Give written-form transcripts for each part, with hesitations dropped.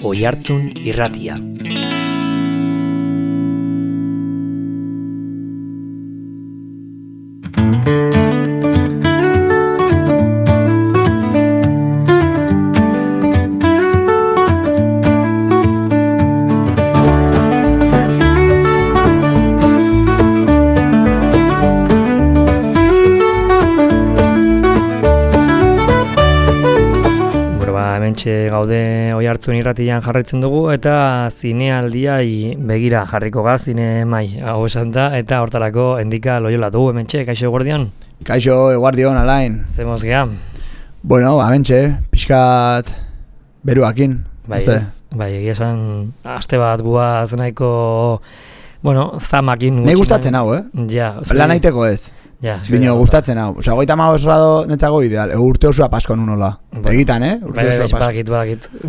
Oihartzun Irratia. Gaude Oihartzun Irratian jarraitzen dugu eta zinealdiai begira jarriko ga zine mai hau esan da eta hortarako Endika Loyola dugu hementxe. Kaixo eguardion? Kaixo eguardion, Alain. Zemoz geha? Bueno, hementxe, pixkat beruakin. Bai, egia esan aste bat guaz nahiko, zamakin. Nei gustatzen hau, Ja. Lan naiteko ez. Ja, bino gustatzen hau. Osea, 35 grado netzako ideal. Urte osoa pasko nunola. Egitan, urte osoa pasko.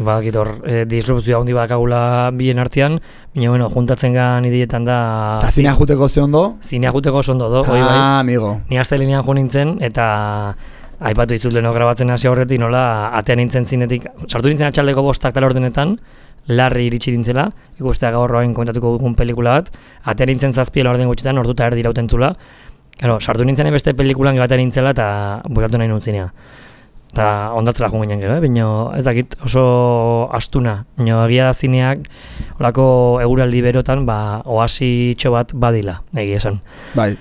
Badakit hor disrupzioa handi bakagula bien artean, baina juntatzen gan idietan da. Ta zinea juteko ze ondo? Zinea juteko ze ondo do, hori bai. Amigo. Ni astelenean jo nintzen eta aipatu dizut leno grabatzen hasi aurretik nola atean nintzen zinetik. Sartu nintzen atxaldeko 5 tal ordenetan. Larri iritsi dintzela, ikustea gaur hain komentatuko dugun pelikula bat, atean nintzen 7 orden gutxitan, orduta erdi irautentzula. Claro, sartu nintzen beste pelikulan batean nintzela eta bukatu nahi nuntzina. Eta ondatzela joan ginen gero, baina ez dakit oso astuna. Baina egia da zineak, holako eguraldi berotan, oasitxo bat badila, egia esan. Bai.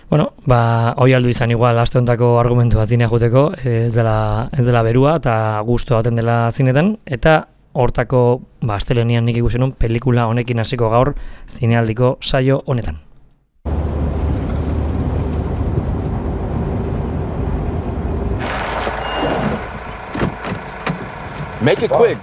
Hoi aldu izan igual aste hontako argumentua zinea juteko, ez dela berua eta gustu baten dela zinetan, eta hortako astelenean nik ikusen nun pelikula honekin hasiko gaur zinealdiko saio honetan. Make it quick.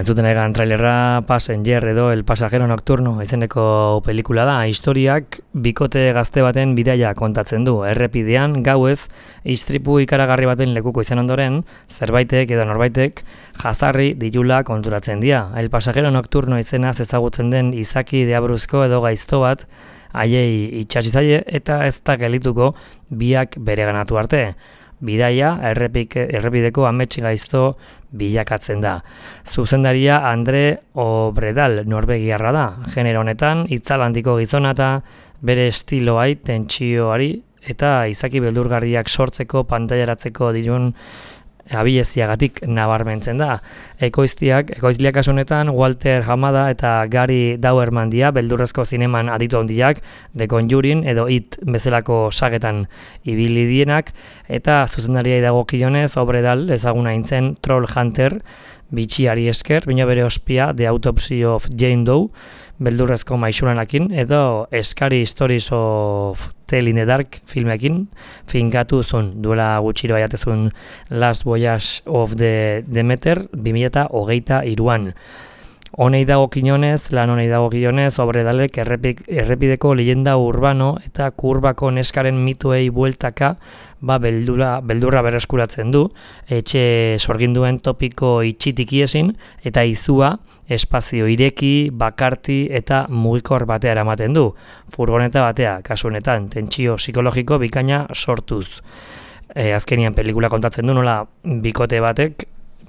Entzuten egan trailerra Passenger edo El Pasajero Nocturno izeneko pelikula da. Historiak bikote gazte baten bidaia kontatzen du. Errepidean, gauez, istripu ikaragarri baten lekuko izan ondoren, zerbaitek edo norbaitek jazarri dilula konturatzen dira. El Pasajero Nocturno izenaz ezagutzen den izaki deabruzko edo gaizto bat haiei itxasi zaie eta ez da gelituko biak bereganatu arte. Bidaia errepideko amets gaizto bilakatzen da. Zuzendaria Andre Obredal norbegiarra da. Genero honetan itzal handiko gizona eta bere estiloai, tentsioari eta izaki beldurgarriak sortzeko pantailaratzeko dirun abileziagatik nabarmentzen da. Ekoizliak kasu honetan Walter Hamada eta Gary Dauberman dira beldurrezko zineman aditu handiak, The Conjuring edo It bezalako sagetan ibili dienak, eta zuzendariai dagokionez Obredal ezaguna hintzen Troll Hunter bitxiari esker, baina bere ospia The Autopsy of Jane Doe beldurrezko maixuranakin edo Scary Stories of Tale in the Dark filmekin finkatu zuen, duela gutxiro aiatezun Last Voyage of the Demeter 2023an. Lan honei dagokionez, Obredalek errepideko leyenda urbano eta kurbako neskaren mituei bueltaka beldurra berreskuratzen du, etxe sorginduen topiko itxitikiesin eta izua espazio ireki, bakarti eta mugikor batea eramaten du. Furgoneta batea, kasu honetan, tentsio psikologiko bikaina sortuz. Azkenian pelikula kontatzen du nola bikote batek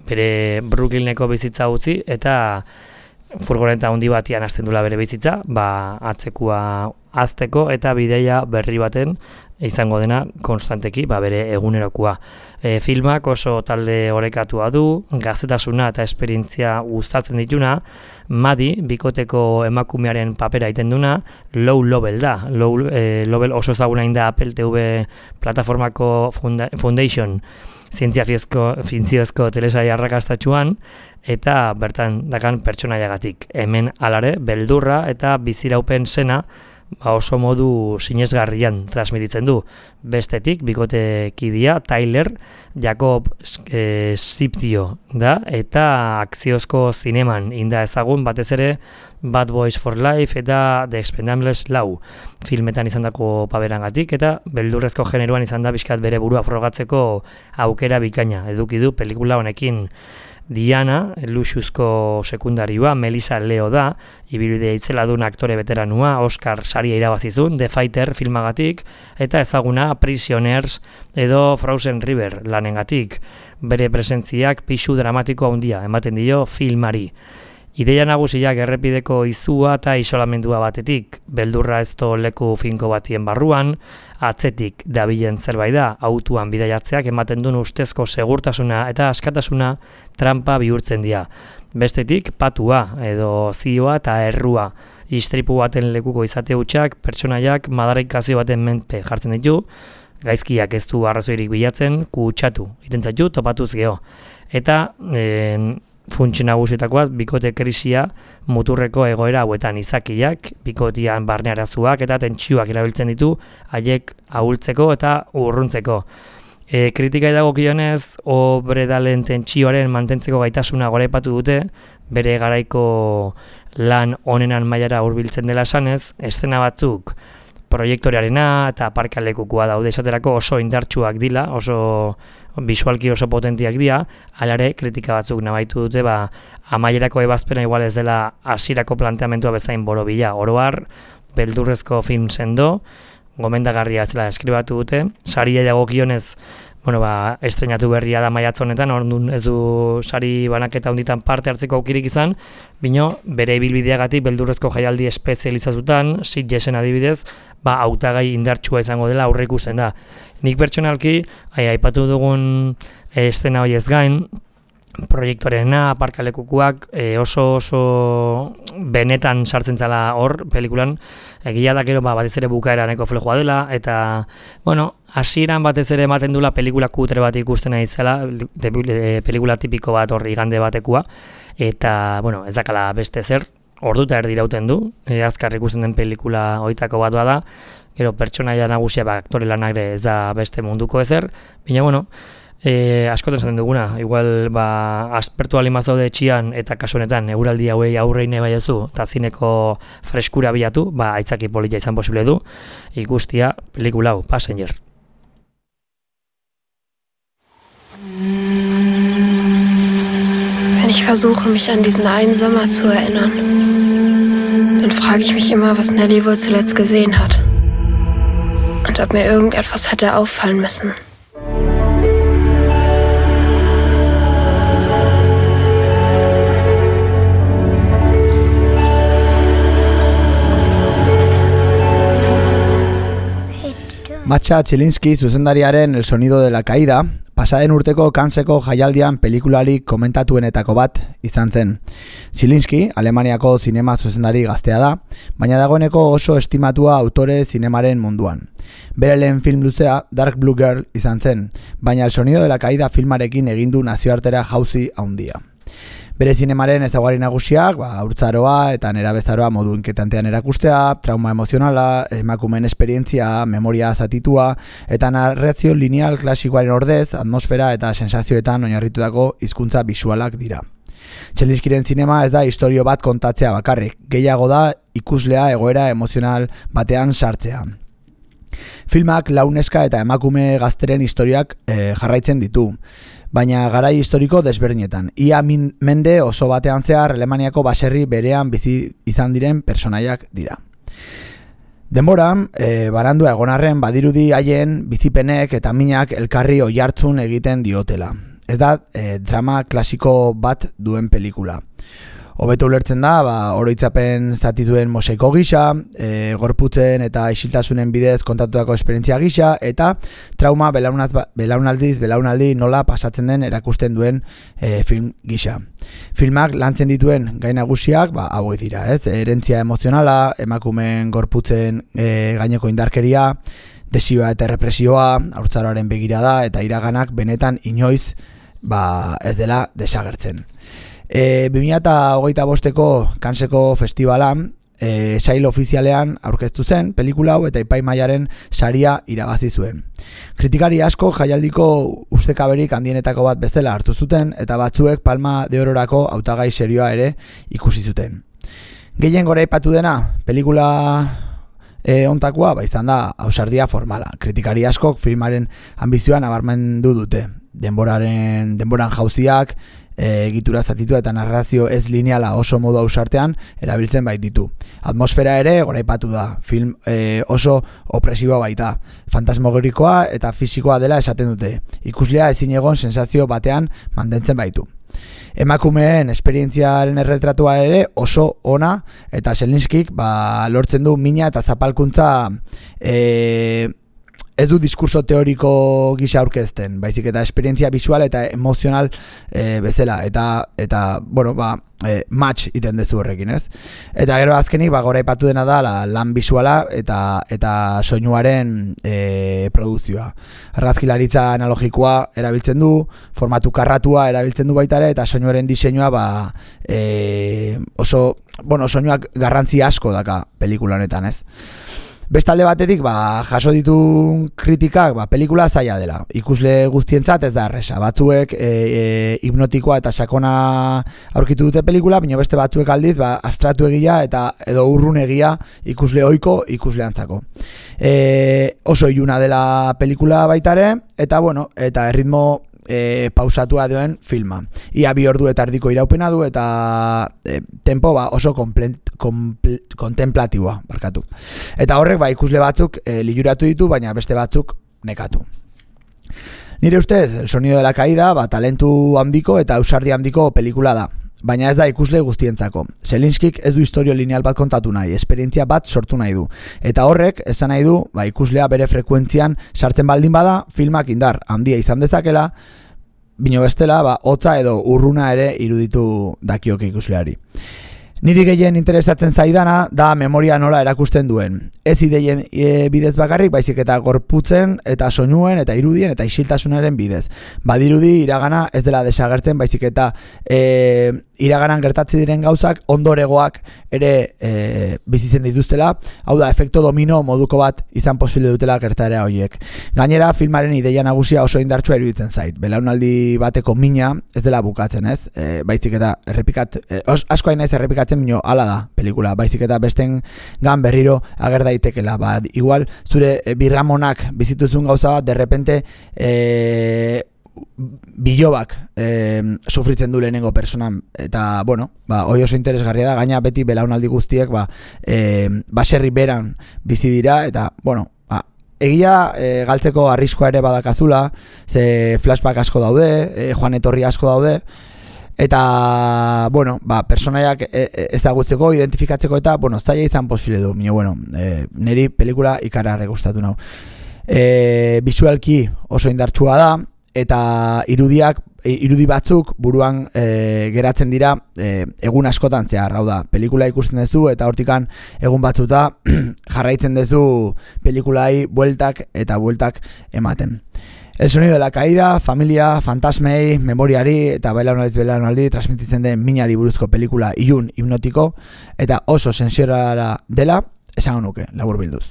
bere Brooklyneko bizitza utzi eta furgoneta handi batian hasten dula bere bizitza, atzekua azteko eta bideia berri baten izango dena konstanteki bere egunerokoa. Filmak oso talde orekatua du, gaztetasuna eta esperientzia gustatzen dituna, Madi, bikoteko emakumearen papera egiten duna, Low Level da. Low Level oso ezaguna da Apple TV plataformako Foundation zientziazko telesai arrakastatxuan, eta bertan dakan pertsonaiagatik. Hemen alare, beldurra eta biziraupen sena oso modu sinesgarrian transmititzen du. Bestetik, bikotekidia Tyler Jacob Siptio da, eta akziozko zineman inda ezagun batez ere Bad Boys for Life eta The Expendables 4 filmetan izandako paberangatik, eta beldurrezko generoan izan da bizkat bere burua frogatzeko aukera bikaina eduki du pelikula honekin. Diana, luxuzko sekundarioa, Melissa Leo da, ibilbide itzeladun aktore veteranua, Oscar saria irabazizun, The Fighter filmagatik, eta ezaguna Prisoners edo Frozen River lanengatik. Bere presentziak pisu dramatiko handia ematen dio filmari. Ideia nagusiak errepideko izua eta isolamendua batetik, beldurra ezto leku finko batien barruan, atzetik dabilen zerbait da, autuan bidaiatzeak ematen duen ustezko segurtasuna eta askatasuna trampa bihurtzen dira. Bestetik, patua edo zioa eta errua, istripu baten lekuko izate hutsak pertsonaiak madarikazio baten menpe jartzen ditu, gaizkiak ez du arrazoirik bilatzen, kutsatu, itentzatu topatuz geho. Eta funtsi nagusietakoa bikote krisia muturreko egoera hauetan izakiak, bikotian barne arazoak eta tentsioak erabiltzen ditu haiek ahultzeko eta urruntzeko. Kritikai dagokionez, obredalen tentsioaren mantentzeko gaitasuna goraipatu dute, bere garaiko lan onenan mailara hurbiltzen dela esanez, eszena batzuk proiektorearena eta parkalekukoa daude esaterako oso indartsuak dira, oso bisualki oso potentiak dira, alare kritika batzuk nabaitu dute, amaierako ebazpena igual ez dela hasierako planteamentua bezain borobila. Oro har, beldurrezko film sendo, gomendagarria zela eskribatu dute, saria dagokionez, estrenatu berria da maiatz honetan, orduan ez du sari banaketa hunditan parte hartzeko aukirik izan, bino bere ibilbideagatik beldurrezko jaialdi espezializatutan, Sitgesen adibidez, hautagai indartsua izango dela aurre ikusten da. Nik pertsonalki, aipatu dugun eszena hori ez gain, proiektorena, parkalekukuak oso benetan sartzen zala hor pelikulan, egia da gero batez ere bukaera neko flojoa dela, eta, hasieran batez ere ematen dula pelikula kutre bat ikusten nahi zela, pelikula tipiko bat hor igande batekua, eta, ez dakala beste zer, orduta erdirauten du, azkar ikusten den pelikula hoitako bat da, gero pertsonaia nagusia aktore lanak ez da beste munduko ezer, baina, askotan zaten duguna, igual aspertu alimazaude etxian eta kasuanetan euraldi hauei aurreine baiozu eta zineko freskura bilatu, aitzaki polita izan posible du, ikustia pelikula hau, Passenger. Wenn ich versuche, mich an diesen einen Sommer zu erinnern, dann frage ich mich immer, was Nelly wohl zuletzt gesehen hat und ob mir irgendetwas hätte auffallen müssen. Matxa Zielinski zuzendariaren El sonido de la caída, pasaden urteko Canneseko jaialdian pelikularik komentatuenetako bat izan zen. Zielinski, Alemaniako zinema zuzendari gaztea da, baina dagoeneko oso estimatua autore zinemaren munduan. Bere lehen film luzea Dark Blue Girl izan zen, baina El sonido de la caída filmarekin egindu nazioartera jauzi handia. Bere zinemaren ezaugarri nagusiak, haurtzaroa eta nerabezaroa modu inketantean erakustea, trauma emozionala, emakumeen esperientzia, memoria zatitua eta narrazio lineal klasikoaren ordez, atmosfera eta sensazioetan oinarritutako hizkuntza bisualak dira. Zielinskiren zinema ez da istorio bat kontatzea bakarrik, gehiago da ikuslea egoera emozional batean sartzea. Filmak launeska eta emakume gazteren historiak jarraitzen ditu, baina garai historiko desberdinetan. Ia mende oso batean zehar Alemaniako baserri berean bizi izan diren personaiak dira. Denboran, barandua egonarren badirudi haien bizipenek eta minak elkarri oihartzun egiten diotela. Ez da drama klasiko bat duen pelikula. Hobeto ulertzen da, oroitzapen zatituen mosaiko gisa, gorputzen eta isiltasunen bidez kontatutako esperientzia gisa, eta trauma belaunaldi nola pasatzen den erakusten duen film gisa. Filmak lantzen dituen gai nagusiak, hauek dira, herentzia emozionala, emakumeen gorputzen gaineko indarkeria, desioa eta represioa, haurtzaroaren begirada eta iraganak benetan inoiz ez dela desagertzen. 2025ko Canneseko festivalan sail ofizialean aurkeztu zen pelikula hau eta epaimahaiaren saria irabazi zuen. Kritikari asko jaialdiko ustekaberik handienetako bat bezala hartu zuten eta batzuek Palma de Ororako hautagai serioa ere ikusi zuten. Gehien goraipatu dena pelikula ontakoa izan da ausardia formala. Kritikari askok filmaren ambizioa nabarmendu dute. Denboran jauziak, egitura zatitua eta narrazio ez lineala oso modu ausartean erabiltzen baititu. Atmosfera ere goraipatu da, film oso opresiboa baita, fantasmagorikoa eta fisikoa dela esaten dute, ikuslea ezin egon sensazio batean mantentzen baitu. Emakumeen esperientziaren erretratua ere oso ona eta Zelinskik lortzen du mina eta zapalkuntza ez du diskurso teoriko gisa aurkezten, baizik eta esperientzia visual eta emozional bezala eta bueno, match iten dezu horrekin, ez? Eta gero azkenik goraipatu dena da lan visuala eta soinuaren produzioa. Argazkilaritza analogikoa erabiltzen du, formatu karratua erabiltzen du baita ere eta soinuaren diseinua oso, bueno, soinuak garrantzi asko daka pelikula honetan, ez? Bestalde batetik, jaso ditun kritikak, pelikula zaila dela. Ikusle guztientzat ez da erresa. Batzuek hipnotikoa eta sakona aurkitu dute pelikula, baina beste batzuek aldiz, abstratu egia eta edo urrun egia ikusle ohiko ikusleantzako. Oso iluna dela pelikula baitare, eta bueno, eta erritmo pausatua duen filma. Ia 2 ordu eta erdiko iraupena du eta tempo oso kontemplatiboa, barkatu. Eta horrek ikusle batzuk liluratu ditu, baina beste batzuk nekatu. Nire ustez, El sonido de la caída, talentu handiko eta ausardi handiko pelikula da. Baina ez da ikusle guztientzako. Zelinskik ez du historio lineal bat kontatu nahi, esperientzia bat sortu nahi du. Eta horrek, esan nahi du, ikuslea bere frekuentzian sartzen baldin bada, filmak indar handia izan dezakela, bino bestela, hotza edo urruna ere iruditu dakioke ikusleari. Niri gehien interesatzen zaidana da memoria nola erakusten duen. Ez ideien bidez bakarrik, baizik eta gorputzen eta soinuen eta irudien eta isiltasunaren bidez. Badirudi iragana ez dela desagertzen, baizik eta iraganan gertatzi diren gauzak ondoregoak ere bizitzen dituztela, hau da, efekto domino moduko bat izan posible dutela gertaera horiek. Gainera, filmaren ideia nagusia oso indartsua iruditzen zait. Belaunaldi bateko mina ez dela bukatzen, ez? Baizik eta asko hain naiz errepikatzen mino hala da pelikula, baizik eta besten gan berriro ager daitekela. Igual, zure birramonak bizituzun gauza bat, derrepente bilobak sufritzen du lehenengo personan eta, bueno, hoi oso interesgarria da, gaina beti belaunaldi guztiek baserri beran bizi dira eta, bueno, egia galtzeko arriskoa ere badakazula, ze flashback asko daude, joan etorri asko daude eta, bueno, personaiak ezagutzeko, identifikatzeko eta, bueno, zaila izan posible du, bueno, niri pelikula ikararre gustatu nau. Visualki oso indartsua da, eta irudi batzuk buruan geratzen dira egun askotan zehar, hau da, pelikula ikusten duzu eta hortikan egun batzuta jarraitzen duzu pelikulai bueltak eta bueltak ematen. El sonido de la caída, familia, fantasmei, memoriari eta belaunaldi transmititzen den minari buruzko pelikula ilun hipnotiko eta oso sentsiorara dela, esango nuke, laburbilduz.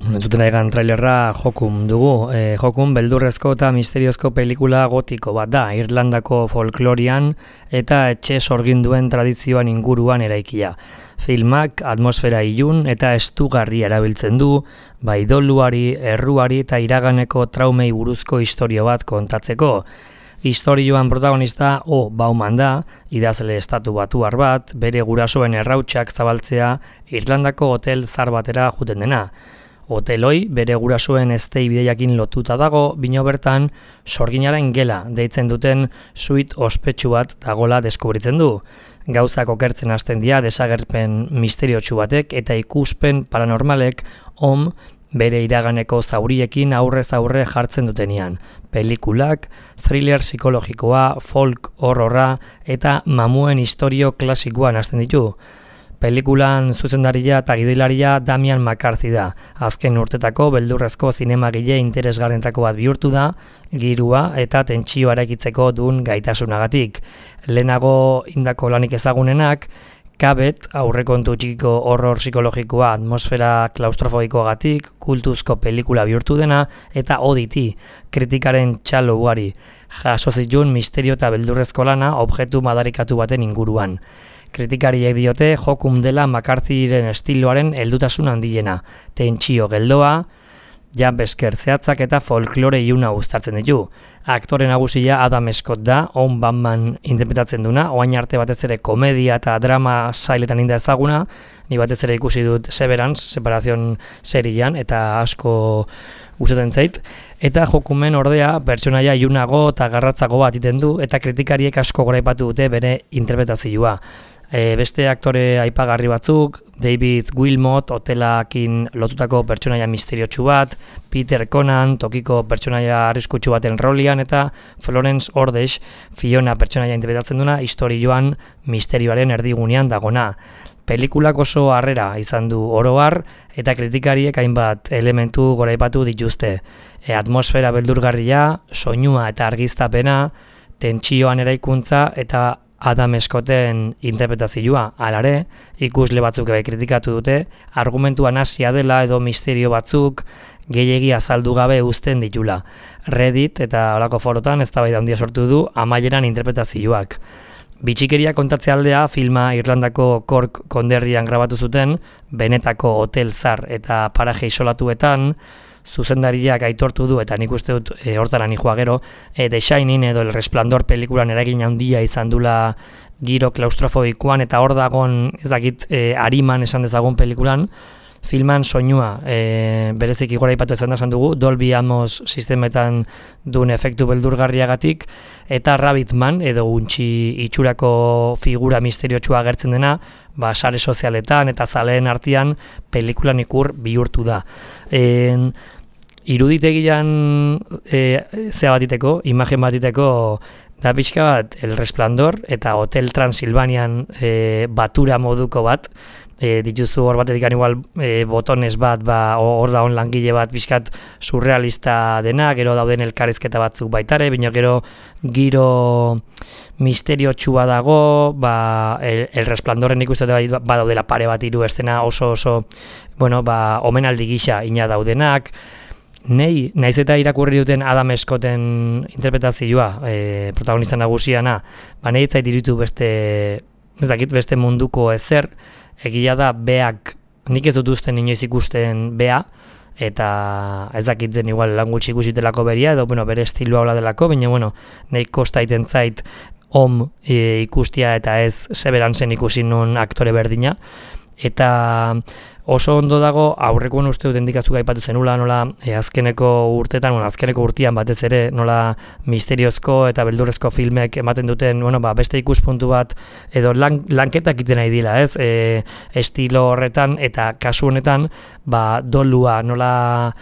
Entzuten egan trailerra Jokum dugu. Jokum beldurrezko eta misteriozko pelikula gotiko bat da, Irlandako folklorian eta etxe sorginduen tradizioan inguruan eraikia. Filmak atmosfera ilun eta estugarri erabiltzen du, doluari, erruari eta iraganeko traumei buruzko istorio bat kontatzeko. Istorioan protagonista Bauman da, idazle estatu batuar bat, bere gurasoen errautsak zabaltzea Irlandako hotel zar batera juten dena. Hoteloi bere gurasoen eztei bideiakin lotuta dago, bino bertan sorginaren gela deitzen duten suite ospetsu bat dagola deskubritzen du. Gauzak okertzen hasten dira desagerpen misteriotsu batek eta ikuspen paranormalek bere iraganeko zauriekin aurrez aurre jartzen dutenean. Pelikulak, thriller psikologikoa, folk horrora eta mamuen istorio klasikoan hasten ditu. Pelikulan zuzendaria eta gidoilaria Damian McCarthy da. Azken urtetako beldurrezko zinemagile interesgarrentako bat bihurtu da, girua eta tentsioa eraikitzeko duen gaitasunagatik. Lehenago indako lanik ezagunenak, Kabet, aurrekontu txikiko horror psikologikoa atmosfera klaustrofobikoagatik, kultuzko pelikula bihurtu dena, eta Oditi, kritikaren txalo ugari, jaso zituen misterio eta beldurrezko lana objektu madarikatu baten inguruan. Kritikariek diote jokum dela McCarthyren estiloaren heldutasun handiena, tentsio geldoa, jambesker zehatzak eta folklore iluna uztartzen ditu. Aktore nagusia Adam Scott da, On Batman interpretatzen duna, oain arte batez ere komedia eta drama sailetan inda ezaguna, ni batez ere ikusi dut Severance, Separación serian, eta asko gustatzen zait. Eta jokumen ordea, pertsonaia ilunago eta garratzago bat iten du, eta kritikariek asko goraipatu dute bere interpretazioa. Beste aktore aipagarri batzuk, David Wilmot, hotelakin lotutako pertsonaia misteriotsu bat, Peter Conan, tokiko pertsonaia arriskutsu baten rolian, eta Florence Ordesh, Fiona pertsonaia interpretatzen duna, istorioan misterioaren erdigunean dagona. Pelikulak oso harrera izan du oro har, eta kritikariek hainbat elementu goraipatu dituzte. Atmosfera beldurgarria, soinua eta argiztapena, tentsioan eraikuntza eta Adam Scotten interpretazioa. Halare, ikusle batzuk ere kritikatu dute, argumentua nahasia dela edo misterio batzuk gehiegi azaldu gabe uzten ditula. Reddit eta holako forotan eztabaida handia sortu du amaieran interpretazioak. Bitxikeria kontatze aldea filma Irlandako Cork konderrian grabatu zuten, benetako hotel zar eta paraje isolatuetan, zuzendariak aitortu du, eta nik uste dut hortara nijoa gero, The Shining edo El Resplandor pelikulan eragin handia izan dula giro klaustrofobikoan, eta hor dagon, ez dakit, ariman esan dezagun pelikulan, filman soinua bereziki goraipatu esan dugu, Dolby Atmos sistemetan duen efektu beldurgarriagatik, eta Rabbitman edo untxi itxurako figura misteriotsua agertzen dena, sare sozialetan eta zaleen artean pelikulan ikur bihurtu da. Iruditegian zea batiteko, imagen batiteko, da pixka bat El Resplandor eta Hotel Transilvanian batura moduko bat, dituzu hor batetik igual botones bat, hor da on langile bat pixkat surrealista dena, gero dauden elkarrizketa batzuk baitare, baina gero giro misteriotxua dago, El Resplandorren ikusten badaudela pare bat hiru estena oso, omenaldi gisa ina daudenak. Naiz eta irakurri duten Adam Scotten interpretazioa, protagonista nagusiana, nahi ez zait iruditu beste munduko ezer, egia da beak, nik ez dut usten inoiz ikusten bea, eta ez dakiten igual lan gutxi ikusitelako beria, edo bere estiloa hola delako, baina nahi kosta iten zait ikustia eta ez Severancen ikusi nun aktore berdina, eta oso ondo dago, aurrekoen uste dut endikazuk aipatu zenula, nola azkeneko urtean batez ere, nola misteriozko eta beldurrezko filmek ematen duten, beste ikuspuntu bat, edo lanketak iten nahi dila, ez? Estilo horretan, eta kasu honetan, dolua, nola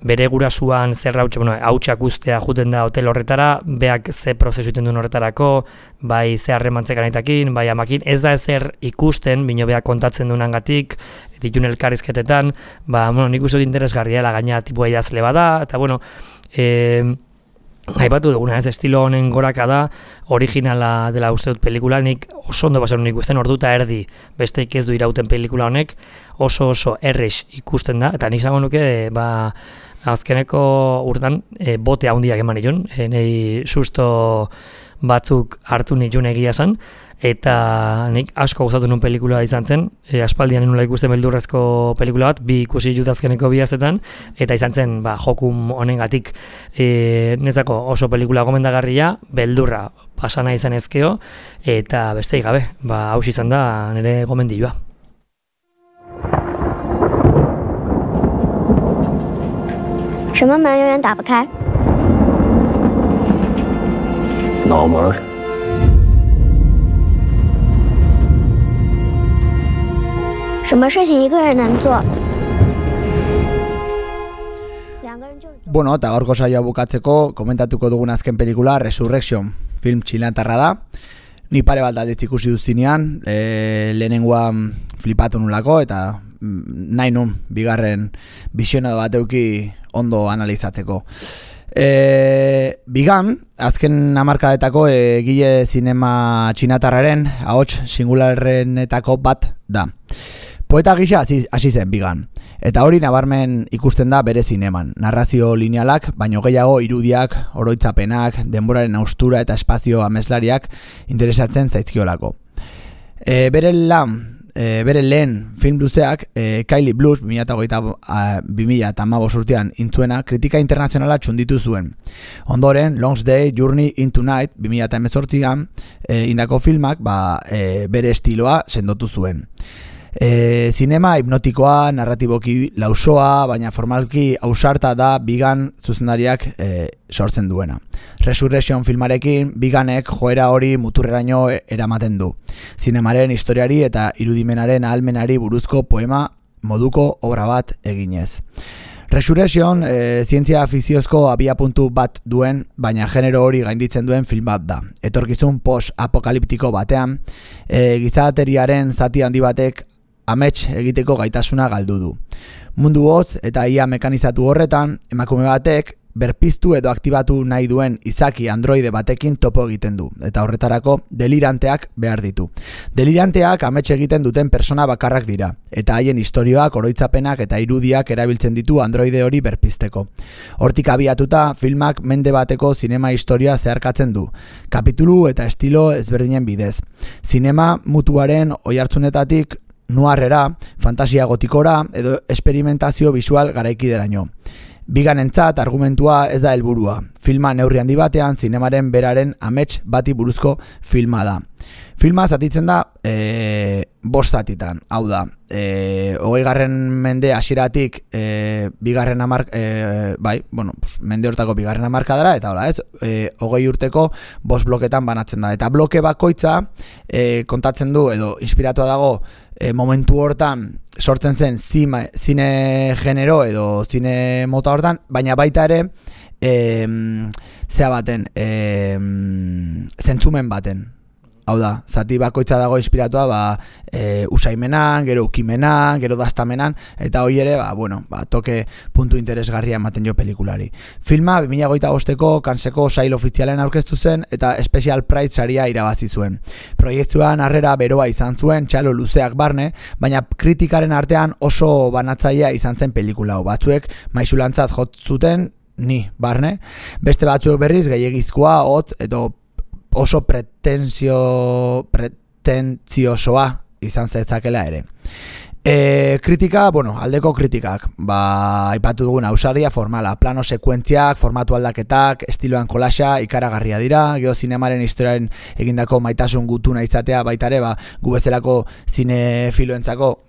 bere gurasuan zer hautsak ustea juten da hotel horretara, beak ze prozesu iten duen horretarako, bai ze harremantzekan aitakin, bai amakin, ez da ezer ikusten, bino beak kontatzen duenagatik, ditun elkarrizketetan, nik uste dut interesgarria gaina tipua idazle bada, eta aipatu duguna, ez estilo honen goraka da, originala dela uste dut pelikula, nik oso ondo basen ikusten, orduta erdi besteik ez du irauten pelikula honek, oso errex ikusten da, eta nik zango nuke, azkeneko urtan bote handiak eman nituen, nahi susto batzuk hartu nituen egia zen, eta nik asko gustatu nuen pelikula izan zen, aspaldian nula ikusten beldurrezko pelikula bat, bi ikusi dut azkeneko bi astetan, eta izan zen jokum honengatik nezako oso pelikula gomendagarria, beldurra pasana izan ezkeo, eta besteik gabe, haus izan da nire gomendioa. 什么门永远打不开？脑门。什么事情一个人能做？两个人就是做。 Bueno, eta gaurko saioa bukatzeko komentatuko dugun azken pelikula Resurrection, film txilantarra da. Ni pare bat aldiz ikusi duztinean, lehenengoan flipatu nulako eta nahi nun bigarren bisionado bat euki ondo analizatzeko. Bigan, azken hamarkadetako egile zinema txinatarraren ahots singularrenetako bat da. Poeta gisa hasi zen Bigan, eta hori nabarmen ikusten da bere zineman. Narrazio linealak, baino gehiago irudiak, oroitzapenak, denboraren haustura eta espazio ameslariak interesatzen zaizkiolako. Bere lehen film luzeak, Kylie Blues 2015 urtean intzuena, kritika internazionala txunditu zuen. Ondoren, Long Day, Journey into Night 2018an indako filmak bere estiloa sendotu zuen. Zinema hipnotikoa, narratiboki lausoa, baina formalki ausarta da Bigan zuzendariak sortzen duena. Resurrection filmarekin Biganek joera hori muturreraino eramaten du. Zinemaren historiari eta irudimenaren ahalmenari buruzko poema moduko obra bat eginez. Resurrection zientzia fiziozko abiapuntu bat duen, baina genero hori gainditzen duen film bat da. Etorkizun post-apokaliptiko batean, gizateriaren zati handi batek amets egiteko gaitasuna galdu du. Mundu hotz eta ia mekanizatu horretan, emakume batek berpiztu edo aktibatu nahi duen izaki androide batekin topo egiten du, eta horretarako deliranteak behar ditu. Deliranteak amets egiten duten persona bakarrak dira, eta haien istorioak, oroitzapenak eta irudiak erabiltzen ditu androide hori berpizteko. Hortik abiatuta, filmak mende bateko zinema historia zeharkatzen du, kapitulu eta estilo ezberdinen bidez. Zinema mutuaren oihartzunetatik nuarrera, fantasia gotikora edo esperimentazio visual garaikideraino. Biganentzat argumentua ez da helburua. Filma neurri handi batean zinemaren beraren amets bati buruzko filma da. Filma zatitzen da 5 zatitan. Hau da, 20. mende hasieratik mende hortako 2. hamarkadara eta hola, 20 urteko 5 bloketan banatzen da. Eta bloke bakoitza kontatzen du edo inspiratua dago momentu hortan sortzen zen zine genero edo zine mota hortan, baina baita ere zentzumen baten. Hau da, zati bakoitza dago inspiratua usaimenan, gero ukimenan, gero dastamenan, eta hori ere, toke puntu interesgarria ematen jo pelikulari. Filma 2025ko Canneseko sail ofizialen aurkeztu zen eta Special Prize saria irabazi zuen. Proiektuan harrera beroa izan zuen, txalo luzeak barne, baina kritikaren artean oso banatzailea izan zen pelikula hau. Batzuek maisulantzat jotzuten, ni barne, beste batzuek berriz gehiegizkoa, hotz, edo oso pretentziosoa izan zezakela ere. Kritika, aldeko kritikak, aipatu dugun ausardia formala, plano sekuentziak, formatu aldaketak, estiloan kolaxa, ikaragarria dira, geozinemaren historiaren egindako maitasun gutuna izatea baitare, gu bezalako zinefiloentzako,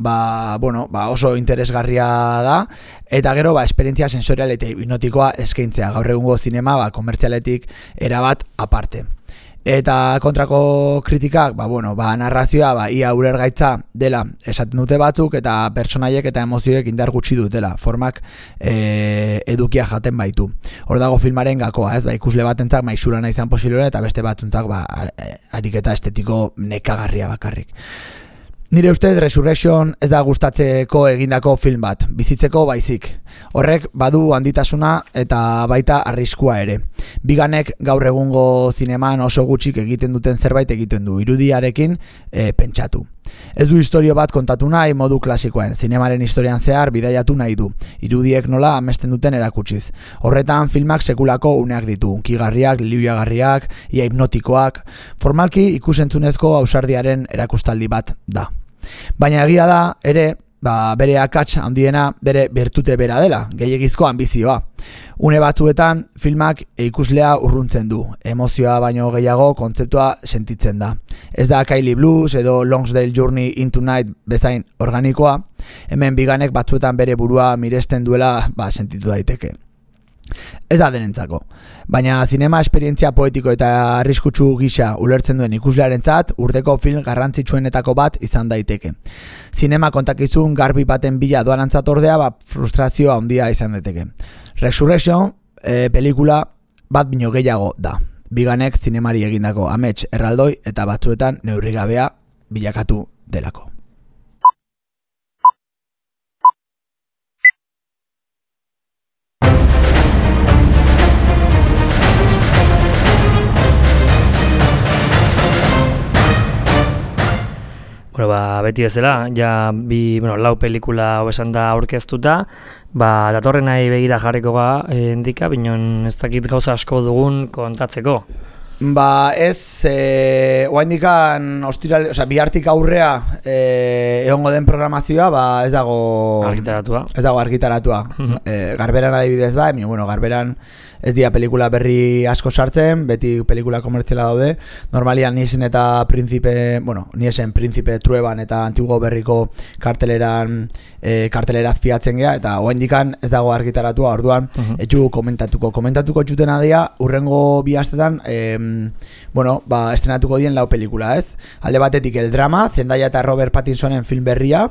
oso interesgarria da, eta gero, esperientzia sensorial eta hipnotikoa eskaintzea, gaur egungo zinema, komertzialetik erabat aparte. Eta kontrako kritikak, narrazioa, ia ulergaitza dela esaten dute batzuk, eta pertsonaiek eta emozioek indar gutxi dutela, formak edukia jaten baitu. Hor dago filmaren gakoa, ikusle batentzak maisurana izan posiblea, eta beste batzuntzak ariketa estetiko nekagarria bakarrik. Nire ustez Resurrection ez da gustatzeko egindako film bat, bizitzeko baizik. Horrek badu handitasuna eta baita arriskua ere. Biganek gaur egungo zineman oso gutxik egiten duten zerbait egiten du, irudiarekin pentsatu. Ez du historio bat kontatu nahi modu klasikoen, zinemaren historian zehar bidaiatu nahi du, irudiek nola amesten duten erakutsiz. Horretan filmak sekulako uneak ditu, unkigarriak, liuagarriak, ia hipnotikoak, formalki ikusentzunezko ausardiaren erakustaldi bat da. Baina egia da, ere, bere akats handiena bere bertute bera dela, gehiegizko ambizioa. Une batzuetan filmak ikuslea urruntzen du, emozioa baino gehiago kontzeptua sentitzen da. Ez da Kylie Blues edo Longsdale Journey into Night bezain organikoa, hemen Biganek batzuetan bere burua miresten duela sentitu daiteke. Ez da denentzako, baina zinema esperientzia poetiko eta arriskutsu gisa ulertzen duen ikuslearentzat urteko film garrantzitsuenetako bat izan daiteke. Zinema kontakizun garbi baten bila doanantzat ordea frustrazioa handia izan daiteke. Resurrection pelikula bat bino gehiago da. Biganek zinemari egindako amets erraldoi eta batzuetan neurrigabea bilakatu delako. Bueno, beti bezala, ja lau pelikula hobesan da aurkeztuta, datorren nahi begira jarriko endika, binon ez dakit gauza asko dugun kontatzeko. Ez, oaindikan bihartik aurrea egongo den programazioa, ez dago argitaratua. Garberan adibidez Garberan ez dira pelikula berri asko sartzen, beti pelikula komertziala daude. Normalian Niesen eta Príncipe Trueban eta Antiguo Berriko karteleraz fiatzen gea, eta oaindikan ez dago argitaratua, orduan etxu komentatuko txutena dira, urrengo bi astetan estrenatuko dien lau pelikula, ez? Alde batetik El Drama, Zendaya eta Robert Pattinsonen film berria,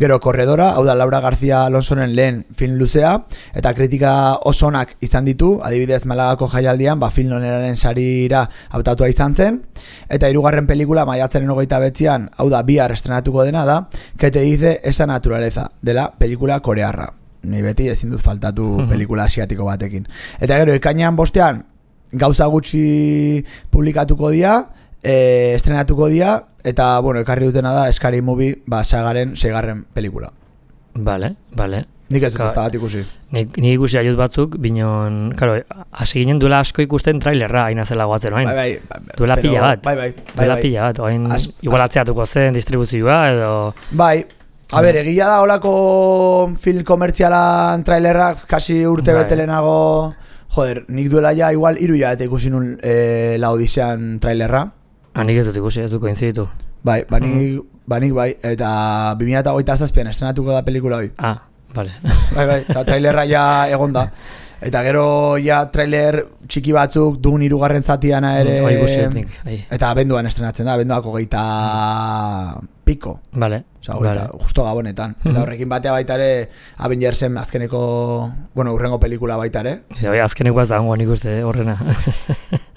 gero Corredora, hau da Laura García Alonsoren lehen film luzea, eta kritika oso onak izan ditu, adibidez Malagako jaialdian, film oneraren sarira hautatua izan zen, eta hirugarren pelikula maiatzaren 29an, hau da bihar estrenatuko dena da, Que te dice esa naturaleza, dela pelikula korearra. Ni beti ezin dut faltatu pelikula asiatiko batekin. Eta gero, ekainean bostean, gauza gutxi publikatuko dira, estrenatuko dira, eta, ekarri dutena da Scary Movie, sagaren 6. pelikula. Vale. Nik ez dut ez da bat ikusi. Nik ikusi aiut batzuk, binon, hasi ginen duela asko ikusten trailerra, hain azela goatzen, oain. Bai. Duela pila bat. Duela pila bat, oain, igual atzeatuko zen distribuzioa, edo... Bai. Egia da holako film komertzialan trailerrak kasi urte betelenago... Nik duela ja igual 3 hilabete ikusi nun La Odisean trailerra. Nik ez dut ikusi, ez dut koinziditu. Nik bai, eta 2027an estrenatuko da pelikula hori. Vale. Bai, eta trailerra ja egon da. Eta gero ja trailer txiki batzuk dun 3. zatiana ere. Eta abenduan estrenatzen da, abenduako 20 piko. Vale. Justo gabonetan. Eta horrekin batea baita ere Avengersen azkeneko, urrengo pelikula baita ere. Azkeneko ez da hongo nik uste horrena.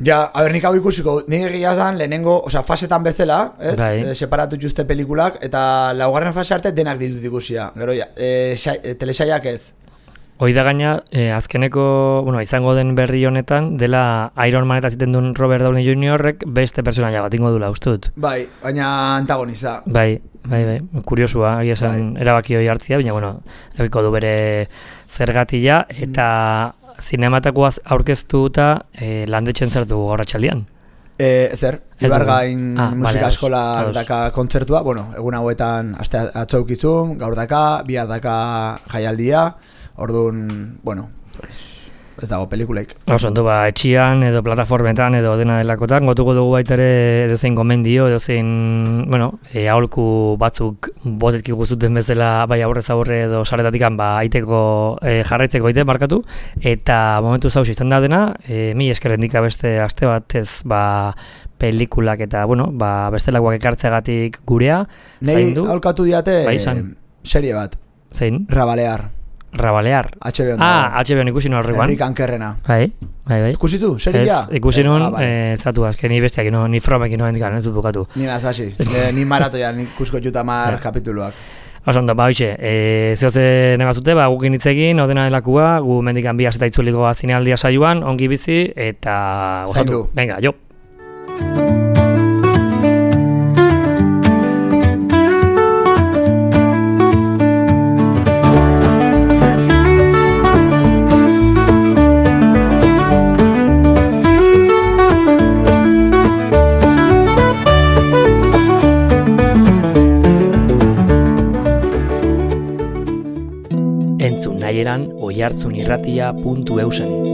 Nik hau ikusiko, nik egia zan lehenengo, fasetan bezala, separatu juste pelikulak, eta 2. fase arte denak ditut ikusia. Gero telesaiak ez. Hoi da gaina, azkeneko, izango den berri honetan, dela Iron Man eta ziten duen Robert Downey Jr.ek beste personaia bat ingo dula, ustut. Bai, baina antagoniza. Bai, kuriosua, esan erabaki hori hartzia, baina, egiko du bere zergatia, eta zinematakoa aurkeztuta landetxen zertu horratxaldian. Zer, Ibargain musika eskola daka kontzertua, egun hauetan atzaukizun, gaur daka, bihar daka jaialdia, orduan, ez dago pelikuleik. Ondo, etxian edo plataformetan edo dena delakotan, gotuko dugu baita ere edozein gomendio, edozein, aholku batzuk botetki guztuten bezala bai aurrez aurre edo saretatikan aiteko jarraitzeko aite markatu, eta momentu zauz izan da dena, mi eskerrendika beste aste batez pelikulak eta, bestelakoak ekartzeagatik gurea, zaindu. Nei aholkatu diate serie bat. Zein? Rabalear. HBO ikusi nuen horreguan. Enrik Ankerrena. Bai. Ikusitu, seria? Ikusi nuen, zatu azke, ni bestiak, ni fromek inoen dikan, ez dut bukatu. Ni nazasi, ni maratoia, ni ikusko jutamar kapituluak. Osondo, hoxe, zehoze nebazute, gukin hitzekin, odena delakua, gu mendikan bi aseta itzuliko zinealdia saioan, ongi bizi, eta gozatu. Venga, jo. Oihartzunirratia.eusen